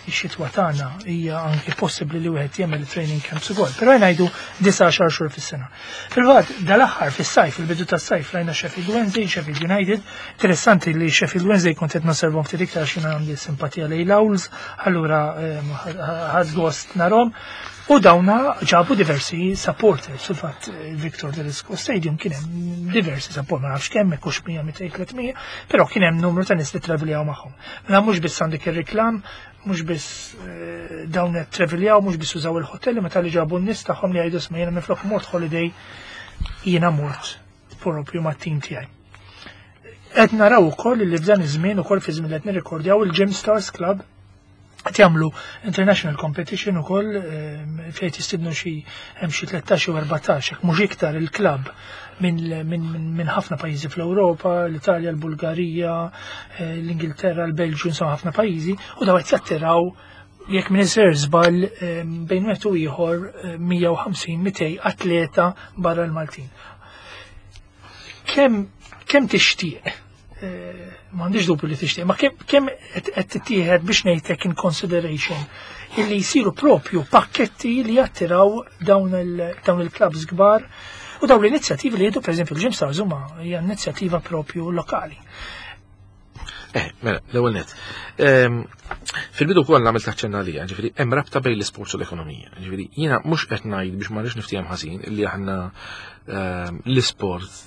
ix-xitwa tagħna hija anke possibbli li wieħed jagħmel training camps ukoll. Però ngħidu 19 xhur fis-sena. Fil-fatt, dal-aħħar fis-sajf, il-bidu tas-sajf rajna Sheffield Wednesday, Sheffield United. Interessanti li Sheffield Wednesday kont qed nosservhom ftit iktar xi għandi simpatija lejn l-Owls, allura ehm, ħadd gost narhom. U dawna ġabu diversi supporters, fil-fatt Victor Tedesco Stadium kien hemm diversi supporters, ma nafx kemm, hekk 100, 200, 300, però kien hemm numru ta' nies li traviljaw magħhom. Mela mhux biss għandek ir-reklam, mhux biss eh, dawn qed traviljaw, mhux biss użaw il-hotel, meta li ġabu n-nies tagħhom li jgħidu sma jiena minflok mort holiday jiena mort propju mat-tim tiegħi. Qed naraw ukoll li f'dan iż-żmien ukoll fi żmien li qed nirrikordjaw il-Gym Stars Club qed jagħmlu international competition ukoll fejn jistidnu xi hemm xi 13 u 14 jekk mhux iktar il-klabb minn ħafna pajjiżi fl-Ewropa, l-Italja, l-Bulgarija, eh, l-Ingilterra, l-Belġju, insomma ħafna pajjiżi, u daw qed jattiraw jekk minn iser żball bejn wieħed u ieħor 150-200 eh, atleta barra l-Maltin. Kemm kemm tixtieq eh, m'għandix dubju li tixtieq, ma kemm qed tittieħed biex ngħidlek in consideration illi jsiru propju pakketti li jattiraw dawn il-clubs kbar u dawn l-inizjattivi li jieħdu pereżempju l-Gym Stars huma hija inizjattiva propju lokali. Eh, mela, l-ewwel net. Fil-bidu wkoll nagħmel taċċenna għalija, ġifieri hemm rabta bejn l-isports u l-ekonomija. Ġifieri jiena mhux qed ngħid biex ma rridx niftiehem ħażin li aħna l-isport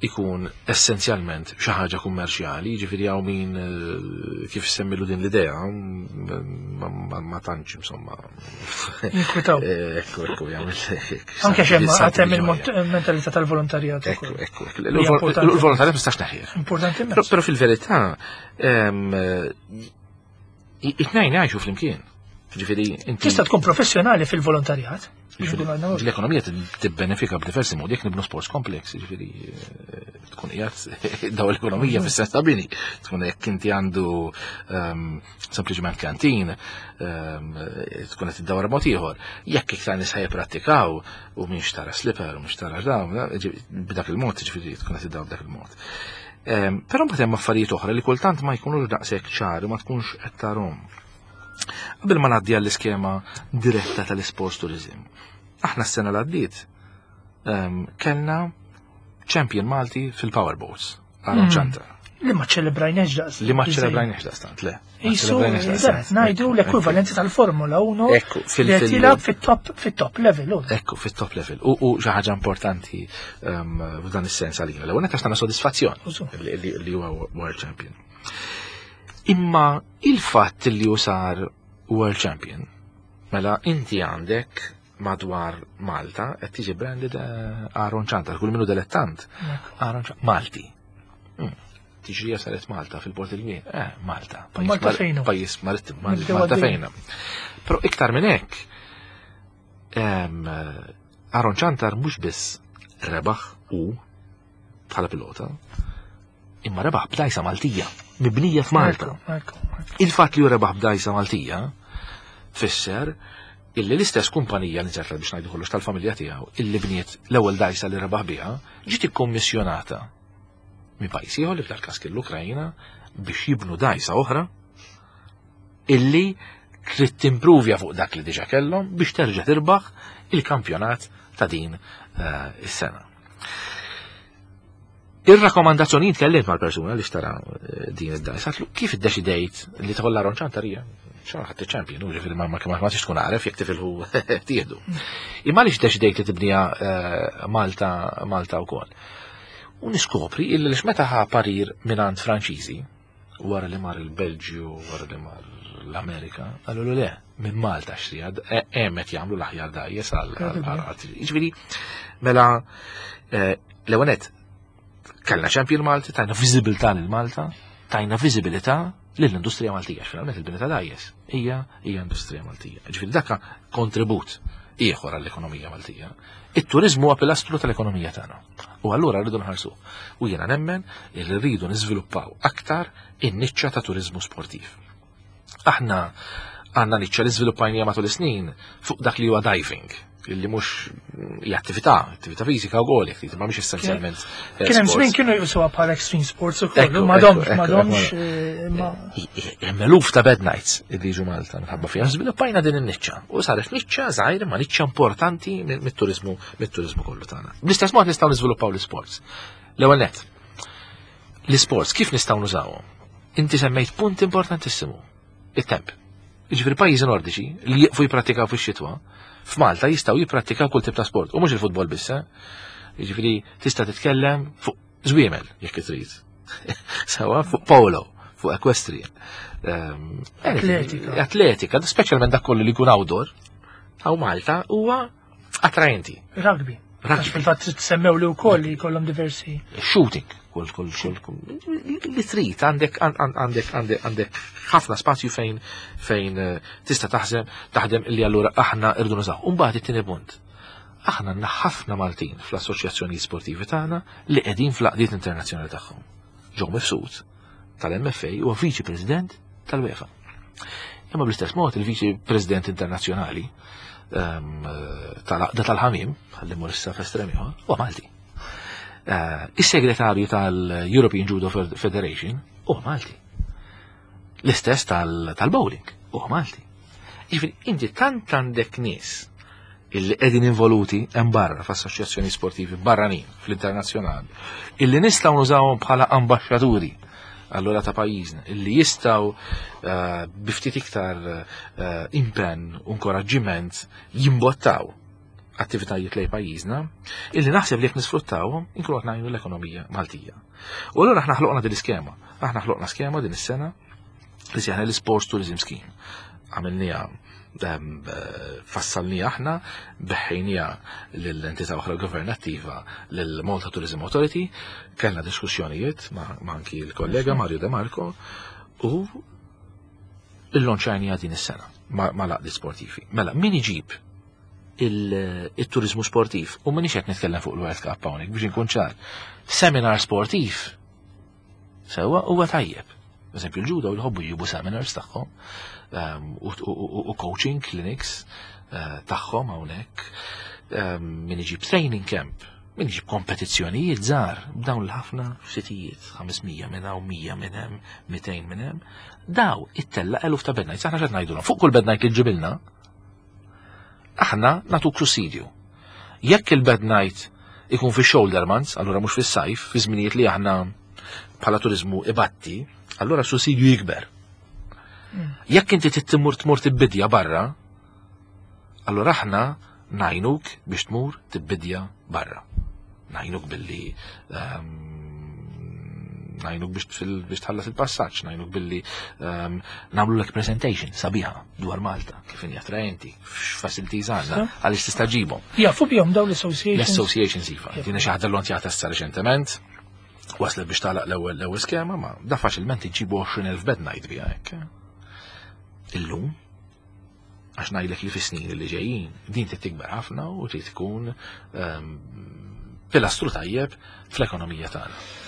ikun essenzjalment xi ħaġa kummerċjali, jiġifieri hawn min eh, kif semmilu din l-idea ma tantx insomma. Inkwitaw. Eh, ekku, ekku, jagħmel. Anke xemm għatem il-mentalità tal-volontarjat. Ekku, ekku, Il-volontarjat mistax naħir. Importanti. Però fil-verità, it-tnejn jgħixu flimkien. Ġifieri, inti. Tista' tkun professjonali fil-volontarjat. L-ekonomija tibbenefika b'diversi modi jekk nibnu sports complex, ġifieri eh, tkun qiegħed daw l-ekonomija mm. fis-sens ta' bini, tkun jekk inti għandu ehm, sempliċement kantin, ehm, tkun qed iddawar mod ieħor. Jekk iktar nies ħajprattikaw u mhix tara slipper u mhix tara dawn, b'dak il-mod, ġifieri tkun qed iddawar b'dak il-mod. Ehm, però mbagħad hemm affarijiet oħra li kultant ma jkunux daqshekk ċari ma tkunx qed tarhom. Qabel ma ngħaddi għall-iskema diretta tal-isports tourism. Aħna s-sena l għaddiet ehm, kellna champion Malti fil-powerboats, Aaron Ċantar. Li ma ċelebrajniex daqs. Li ma ċelebrajniex daqstant, le. Isu, najdu l-ekwivalenti tal-Formula 1. Ekku, fil-tilab fit-top fit-top level. Ekku, fit-top level. U xi ħaġa importanti ehm, f'dan is-sens għalina. L-ewwel qed tagħna sodisfazzjon li huwa World Champion. Imma il-fatt li hu sar World Champion, mela inti għandek madwar Malta qed tiġi branded eh, Aaron Ciantar, kull minnu dilettant. Aaron Ciantar, Malti. Hmm. Tiġrija saret Malta fil-Port il-Kbir. Eh, Malta. Malta fejna. Pajjiż marittim, Malta fejna. Però iktar minn hekk, Aaron Ciantar mhux biss rebaħ u bħala pilota, imma rebaħ b'dajsa Maltija, mibnija f'Malta. Il-fatt li hu rebaħ b'dajsa Maltija tfisser illi l-istess kumpanija li ġarra biex ngħidu kollox tal-familja tiegħu illi bniet l-ewwel dajsa li rebaħ biha ġiet ikkommissjonata minn pajjiż ieħor li f'dal każ kien l-Ukrajna biex jibnu dajsa oħra illi trid timpruvja fuq dak li diġà kellhom biex terġa' tirbaħ il-kampjonat ta' din eh, is-sena. Ir-rakkomandazzjoni tkellimt mal-persuna li xtara eh, din id-dajs, għatlu kif iddeċidejt li tħolla ronċan tarija? ċara ħadd champion, u ġifieri ma ma ma tkun għaref jekk tifilħu tieħdu. Imma għaliex deċidejt li tibnija eh, Malta Malta wkoll. U niskopri illi lix meta ħa parir mingħand Franċiżi, wara li mar il-Belġju, wara li mar l-Amerika, għallu le, minn Malta xrija, e, hemm qed jagħmlu l-aħjar dajjes għal Jiġifieri, mela e, l-ewwel kellna champion Malti, tajna viżibilità lil Malta, tajna viżibilità lill-industrija Maltija, finalment il-bini ta' dajjes hija hija industrija Maltija. Ġifieri dakka kontribut ieħor għall-ekonomija Maltija. It-turizmu huwa pilastru tal-ekonomija tagħna. U allura rridu nħarsu. U jiena nemmen li rridu niżviluppaw aktar in-niċċa ta' turizmu sportiv. Aħna għandna niċċa li żviluppajnija matul is-snin fuq dak li huwa diving illi mhux hija attività, attività fiżika wkoll jekk trid, ma mhix essenzjalment. Eh, Kien hemm żmien kienu jqisuha bħala extreme sports ukoll, m'għadhomx m'għadhomx eh, Hemm eluf ta' bed nights illi jiġu Malta minħabba fiha. Żviluppajna din in-niċċa u saret niċċa żgħir ma niċċa importanti mit-turiżmu mit-turiżmu kollu tagħna. Bl-istess mod nistgħu niżviluppaw l-isports. L-ewwel nett. L-isports kif nistgħu nużawhom? Inti semmejt punt importantissimu it-temp. Jiġifieri pajjiżi nordiċi li jieqfu jipprattikaw fix-xitwa, f'Malta jistgħu jipprattikaw kull tip ta' sport, u mhux il-futbol biss, eh? Jiġifieri tista' titkellem fuq żwiemel jekk trid. Sawa fuq polo, fuq equestrian. Ehm, atletika. Atletika, speċjalment dak kollu li jkun outdoor. Hawn Malta huwa attraenti. Rugby. Għax fil-fatt semmew li wkoll li jkollhom diversi. Shooting, kull kull kull li trid għandek għandek għandek għandek ħafna spazju fejn fejn eh, tista' taħseb taħdem illi allura aħna irdu nużaw. Umbagħad it-tieni punt. Aħna għandna ħafna Maltin fl-assoċjazzjoni sportivi tagħna li qegħdin fl-għaqdiet internazzjonali tagħhom. Joe Mifsud tal-MFA huwa viċi president tal-UEFA. Imma bl-istess mod il-viċi president internazzjonali ehm, tal-għaqda tal-ħamim, ħalli mur issa f'estrem ieħor, huwa Malti. Eh, is-segretarju tal-European Judo Federation huwa Malti. L-istess tal-bowling huwa Malti. Jiġifieri inti tant għandek nies illi qegħdin involuti hemm barra f'assoċjazzjoni sportivi barranin fl-internazzjonali, illi nistgħu nużawhom bħala ambaxxaturi allura ta' pajjiżna, illi jistgħu eh, bi ftit iktar eh, impenn u inkoraġġiment jimbottaw attivitajiet lej pajjiżna, illi naħseb li jekk nisfruttawhom inkunu qed ngħinu l-ekonomija Maltija. U allura aħna ħloqna din l-iskema. Aħna ħloqna skema din is-sena li sejħna l-Sports Tourism Scheme. Għamilniha ehm, fassalnija aħna, beħħejnija l-entità oħra governattiva l-Malta Tourism Authority, kellna diskussjonijiet ma' anki l-kollega Mario De Marco u il-lonċajnija din is-sena ma' l sportivi. Mela, min iġib il-turizmu sportiv u minix qed nitkellem fuq il-World Cup hawnhekk biex inkun ċar. Seminar sportiv sewwa huwa tajjeb. Eżempju, l-ġudo jħobbu jġibu seminars tagħhom ehm, u coaching clinics eh, tagħhom hawnhekk ehm, min iġib training camp, min iġib kompetizzjonijiet żgħar b'dawn l-ħafna sitijiet, 500 minn hawn, 100 minn hemm, 200 minn hemm. Daw ittella eluf ta' bed nights, aħna x'qed ngħidulhom, fuq kull bed night li ġibilna, aħna nagħtuk sussidju. Jekk il-bed night ikun fi shoulder months, allura mhux fis-sajf, fi żminijiet li aħna bħala turizmu ibatti, allura sussidju jikber. Jekk inti trid tmur tmur tibbidja barra, allura aħna ngħinuk biex tmur tibbidja barra. Ngħinuk billi ehm, ngħinuk biex tħallas il-passaġġ, ngħinuk billi ehm, nagħmlu lek presentation sabiħa dwar Malta, kif inhi attraenti, x'facilities għandna, għaliex tista' ġibhom. Jafu bihom dawn l-associations. L-associations iva. Dina xi ħaġa l-lontjata issa reċentement, waslet biex tagħlaq l-ewwel l-ewwel skema, ma da faċilment iġibu 20,000 bed night biha hekk. Illum, għax ngħidlek li fis-snin li ġejjin din trid tikber ħafna u trid tkun ehm, pilastru tajjeb fl-ekonomija tagħna.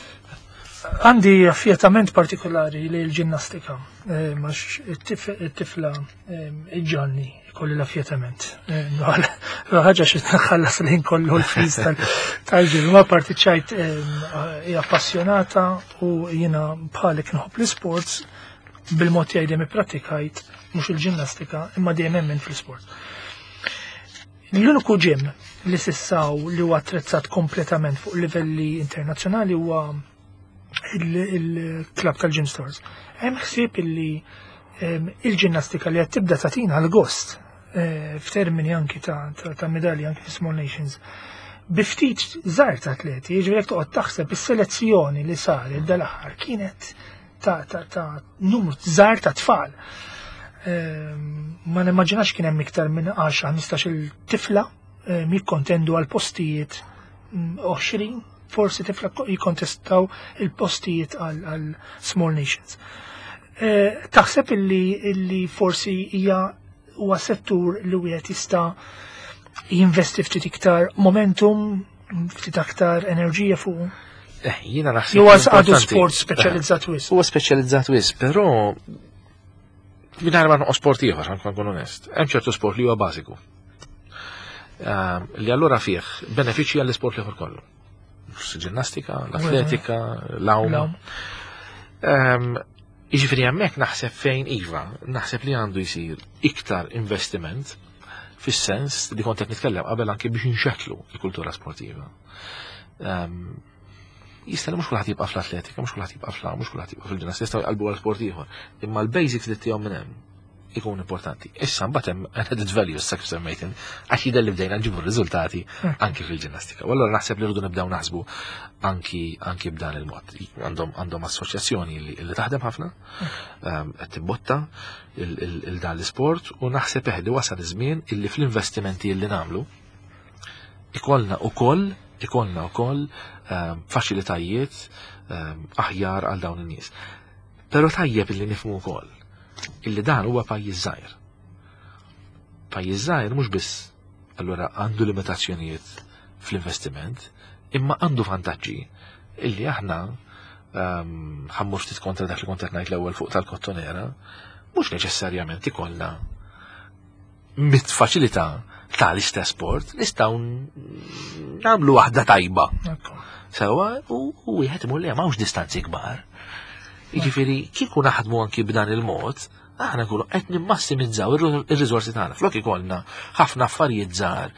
Għandi affjetament partikolari li l-ġinnastika, eh, max it-tifla eh, iġġanni kolli l-affjetament. Eh, ħaġa xi tħallas l-ħin kollu l-fiż tal-ġim, ma partiċajt hija appassionata u jiena bħalek nħobb l-sports bil-mod tiegħi dejjem ipprattikajt mhux il-ġinnastika imma dejjem emmen fl-isport. L-uniku ġim li sissaw li huwa attrezzat kompletament fuq livelli internazzjonali huwa il-klab tal-Gym Stars. Hemm ħsieb illi ehm, il-ġinnastika li qed tibda tagħtina l-gost eh, f'termini anki ta' medalji anki fi Small Nations. Bi ftit żgħar ta' atleti, jiġifieri jekk toqgħod taħseb is-selezzjoni li saret dal-aħħar kienet ta' ta' ta' numru żgħar ta' tfal. Ehm, ma nimmaġinax kien hemm iktar minn 10-15 il-tifla ehm, jikkontendu għal postijiet 20 mm, forsi tifla jikkontestaw il-postijiet għal Small Nations. Eh, taħseb illi, illi forsi hija huwa settur li wieħed jista' jinvesti ftit iktar momentum, ftit aktar enerġija fuq? Eh, jiena naħseb. Huwa għadu sport speċjalizzat wis. Huwa speċjalizzat wis, però mingħajr ma noqgħod sport ieħor, ħankun nkun onest. Hemm ċertu sport li huwa bażiku. Ehm, li allura fih benefiċċji għall-isport l-ieħor kollu. Ġinnastika, l-atletika, l-għawm. Ehm, jiġifieri hemmhekk naħseb fejn iva, naħseb li għandu jsir iktar investiment fis-sens li kont qed nitkellem qabel anke biex inxettlu l-kultura sportiva. Ehm, jista' li mhux kulħadd jibqa' fl-atletika, mhux kulħadd jibqa' fl mhux kulħadd jibqa' fil-ġinnastika, jistgħu jqalbu għal sport ieħor. Imma l-basics li tihom minn hemm ikun importanti. Issa mbagħad hemm added value issa kif semmejt għax jidher li bdejna nġibu r-riżultati hmm. anki fil-ġinnastika. U allura naħseb li rridu nibdew naħsbu anki anki b'dan il-mod. Għandhom għandhom assoċjazzjoni li taħdem ħafna, hmm. ehm, qed tibbotta il dan l-isport u naħseb eħdi wasal iż-żmien illi fl-investimenti li nagħmlu. Ikollna ukoll ikollna wkoll faċilitajiet aħjar għal dawn in-nies. Però tajjeb illi nifhmu wkoll illi dan huwa pajjiż żgħir. Pajjiż żgħir mhux biss allura għandu limitazzjonijiet fl-investiment, imma għandu vantaġġi illi aħna ħammur ftit kontra dak li kont qed ngħid l-ewwel fuq tal-kottonera, mhux neċessarjament ikollna mit faċilità tal-istess sport nistgħu nagħmlu waħda tajba. Sewa u wieħed imur li m'hawnx distanzi kbar. Jiġifieri kieku naħdmu anki b'dan il-mod, aħna nkunu qed nimmassimizzaw ir-riżorsi tagħna. Flok ikollna ħafna affarijiet żgħar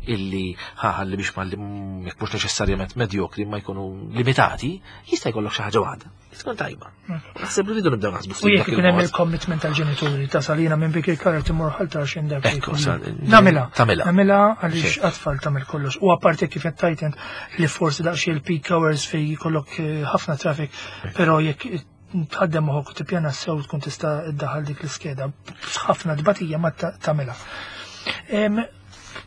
illi ħalli biex ma jekk mhux neċessarjament medjokri ma jkunu limitati, jista' jkollok xi ħaġa waħda. Tkun tajba. Naħseb li rridu nibdew naħsbu ftit. U jekk ikun hemm il-commitment tal-ġenituri ta' salina minn bik il-karar timur ħal tarxin dak. Namela. Tamela. Namela għaliex għatfall tagħmel kollox. U apparti kif qed tajtent li forsi daqsxejn il-peak hours fejn jkollok eh, ħafna traffic, però jekk tħaddem moħok tippjana sew tkun tista' iddaħħal dik l-iskeda. Ħafna tbatija ma tagħmilha.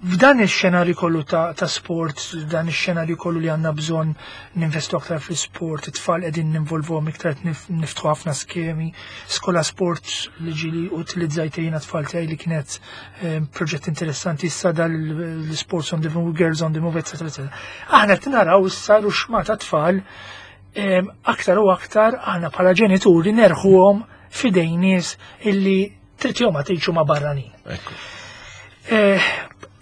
F'dan ix-xenarju kollu ta', ta sport, f'dan ix-xenarju kollu li għandna bżonn ninvestu aktar fl-isport, it-tfal qegħdin ninvolvuhom iktar niftħu ħafna skemi, skola sport li ġili utilizzajt jiena tfal tiegħi li kienet eh, proġett interessanti issa dal l-sports on the move, girls on the move, etc. etc. Aħna qed naraw issa ruxma ta' tfal eh, aktar u aktar aħna bħala ġenituri nerħuhom fidejn nies illi trid jew ma tgħidx ma barranin. Eh,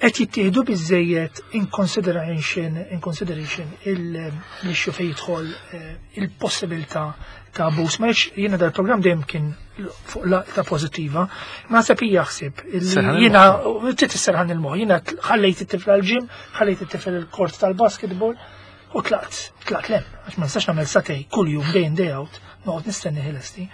qed jittieħdu biżejjed in consideration in consideration l-issue fejn jidħol eh, il-possibilità ta' abbuż. Ma jiena dal-programm dejjem kien fuq laqta pożittiva, ma naħseb hija ħsieb jiena trid isserħan il-moħħ, jiena ħallejt it-tifla l-ġim, ħallejt it-tifel il-kort tal-basketball u tlaqt, tlaqt lem, għax ma nistax nagħmel satej kuljum day in day out, noqgħod nistenni ħilesti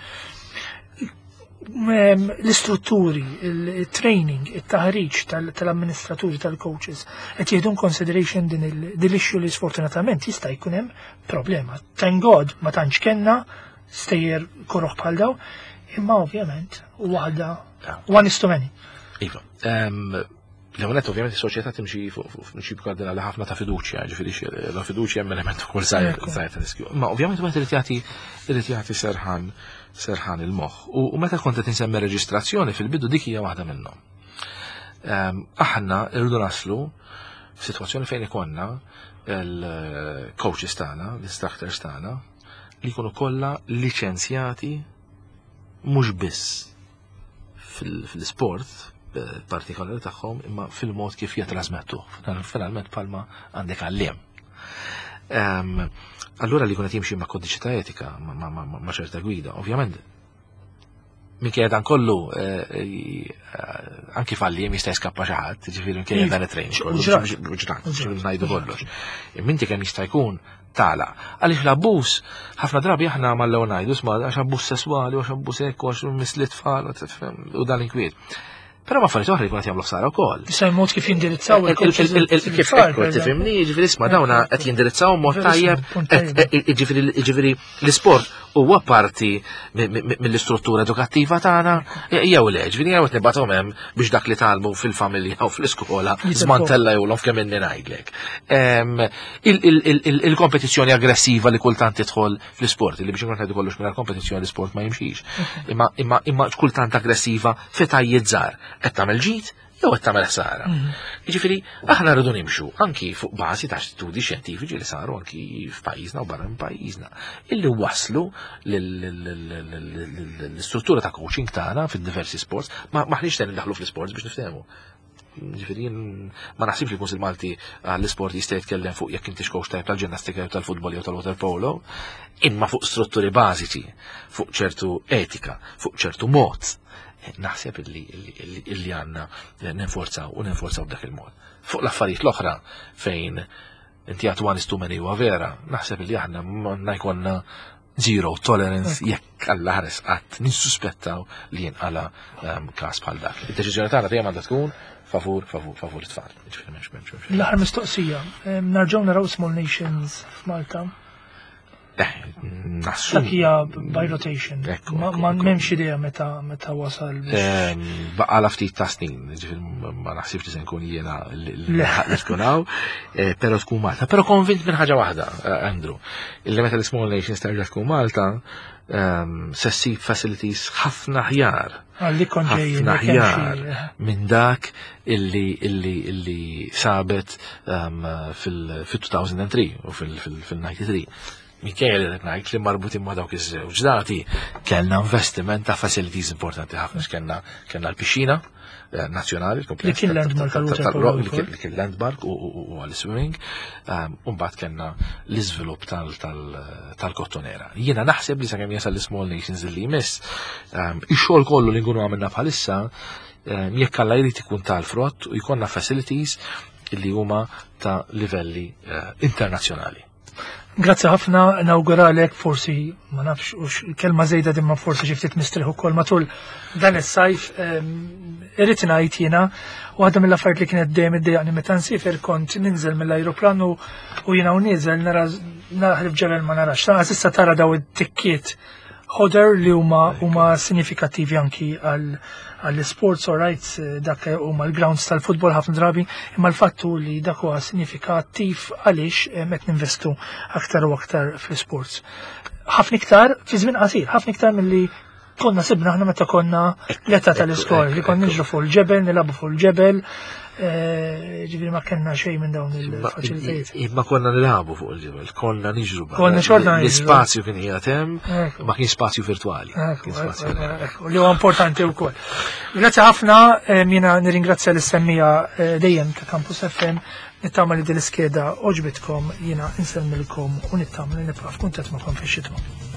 l-istrutturi, il-training, il-taħriġ tal-amministraturi, tal-coaches, qed jieħdu consideration din l-issue li sfortunatament jista' jkun hemm problema. Thank God ma tantx kellna stejjer koroħ bħal daw, imma ovvjament waħda one is too many. Iva, L-ewwel ovvjament is-soċjetà timxi fuq prinċipju kardinali ħafna ta' fiduċja, ġifieri la fiduċja hemm element ukoll żgħir ta' riskju. Ma ovvjament wieħed irid jagħti irid jagħti serħan serħan il-moħħ. U meta kont qed insemmi reġistrazzjoni fil-bidu dik hija waħda minnhom. Ehm, aħna rridu naslu f'sitwazzjoni fejn ikonna il-coaches tagħna, l-instructors tagħna, li jkunu kollha liċenzjati mhux biss fil-sport eh, partikolari tagħhom imma fil-mod kif jitrasmettu. Finalment palma għandek għalliem. Ehm, allura li kunet jimxi ma' kodiċi ta' etika, ma' ċerta gwida, ovvjament minkejja dan kollu eh, eh, anki falli jista' jiskappa xi ħadd, ġifieri minkejja dan it-training kollu. Ġrat, ngħidu kollox. Minti kemm jista' jkun tagħlaq. Għaliex l-abbuż, ħafna drabi aħna mal-ewwel ngħidu sma għax abbuż sesswali, għax abbuż hekk, għax misli tfal, u dan inkwiet. Però ma affarijiet oħra jkun qed jagħmlu ħsara wkoll. Issa mod kif jindirizzaw il-kif ekku tifhimni, jiġifieri isma' dawna qed jindirizzaw mod tajjeb, jiġifieri l-isport huwa parti mill-istruttura edukattiva tagħna jew le, ġifieri jew qed nibgħathom hemm biex dak li talmu fil-familja u fl-iskola żmantella jewlhom f'kemm inni ngħidlek. Il-kompetizzjoni aggressiva li kultant tidħol fl-isport, li biex nkun ngħidu kollox mingħajr kompetizzjoni l-isport ma jimxix. Imma imma imma kultant aggressiva fetajiet żgħar qed tagħmel ġid jew qed tagħmel ħsara. Mhm. Jiġifieri aħna rridu nimxu anki fuq bażi ta' studi xjentifiċi li saru anki f'pajjiżna u barra minn pajjiżna illi waslu l-istruttura ta' coaching tagħna fid-diversi sports, ma maħniex se nindaħlu fl-sports biex niftehmu. Ġifieri ma naħsibx li l-Kunsill Malti għall-isport jista' jitkellem fuq jekk intix coach tajb tal-ġinnastika jew tal-futbol jew tal-waterpolo, imma fuq strutturi bażiċi, fuq ċertu etika, fuq ċertu mod naħseb illi għanna ninforzaw u ninforzaw b'dak il-mod. Fuq l-affarijiet l-oħra fejn inti għat one is too many huwa vera, naħseb illi aħna ma jkollna zero tolerance jekk alla ħares qatt nissuspettaw li jinqala ehm, każ bħal dak. Id-deċiżjoni tagħna dejjem għandha tkun favur, favur, favur it-tfal. L-aħħar mistoqsija, ehm, narġgħu naraw Small Nations f'Malta. Nassum. Dak hija by rotation. Ekku, Ma ekku, ma ekku. m'hemmx idea meta meta wasal biex. Baqala ftit ta' snin, ġifieri ma naħsibx li se nkun jiena li Le. li tkun hawn, però tkun Malta. Però konvint minn ħaġa waħda, Andrew, illi meta l-Small Nations terġa' tkun Malta, se ssib facilities ħafna aħjar Għalli kon ġejjin. ħafna jekk hemm aħjar xi- minn dak illi sabet fil-2003 u fil-93. Minkejja li qed ngħid li marbutin ma' dawk iż-żewġ dati, kellna investiment ta' facilities importanti ħafna x'kellna kellna l-pixxina nazzjonali, Li kien landmark għal waterpolo li wkoll. kien landmark u għal-swimming, u mbagħad kellna l-iżvilupp tal-kottonera. Jiena naħseb li sakemm jasal l-Small Nations li jmiss, ix-xogħol kollu li nkunu għamilna bħalissa, jekk Alla jrid ikun tal-frott u jkollna facilities li huma ta' livelli internazzjonali. Grazzi ħafna, nawguralek forsi, ma nafx, ux kelma żejda dimma forsi xi ftit mistrieħ ukoll matul dan is-sajf, irrid ngħid jiena, waħda mill-affarijiet li kienet dejjem iddejjaqni meta nsiefer kont ninżel mill-ajruplan u jiena u nieżel nara naħrib ġebel ma narax. Lanqas issa tara daw it-tikkiet ħoder li huma sinifikattivi anki għall-sports, all right, dak huma l-grounds tal-futbol ħafna drabi, imma l-fattu li dak huwa sinifikattiv għaliex qed ninvestu aktar u aktar fl-sports. Ħafna iktar fi żmien qasir, ħafna iktar milli konna sibna aħna meta konna l-età tal-iskola, li konna niġru fuq il-ġebel, nilagħbu fuq il-ġebel, ġifieri ma kellna xejn minn dawn il-faċilitajiet. Imma konna nilagħbu fuq il-ġebel, konna niġru barra. Konna xorta niġru. L-ispazju kien qiegħed hemm, Ekku. ma kien spazju virtwali. Ekku, Kien spazju ekku, reali. ekku, li huwa importanti wkoll. Grazzi ħafna, jiena nirringrazzja lis-semmija dejjem ta' Campus FM, nittama li din l-iskeda għoġbitkom, jiena insellmilkom u nittama li nibqa' f'kuntatt magħkom fix-xitwa.